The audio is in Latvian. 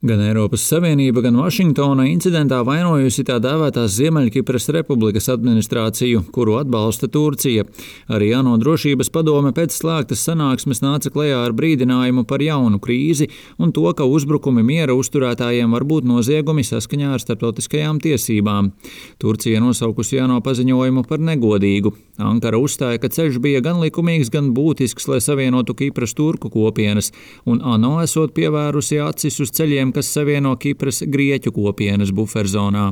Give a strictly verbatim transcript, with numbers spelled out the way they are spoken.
Gan Eiropas Savienība, gan Vašingtona incidentā vainojusi tā dēvētās Ziemeļkipras Republikas administrāciju, kuru atbalsta Turcija. Arī ANO drošības padome pēc slēgtas sanāksmes nāca klajā ar brīdinājumu par jaunu krīzi un to, ka uzbrukumi miera uzturētājiem var būt noziegumi saskaņā ar starptautiskajām tiesībām. Turcija nosaukusi ANO paziņojumu par negodīgu. Ankara uzstāja, ka ceļš bija gan likumīgs, gan būtisks, lai savienotu Kipras turku kopienas, un ANO esot pievērusi acis uz ceļiem, kas savieno Kipras grieķu kopienas buferzonā.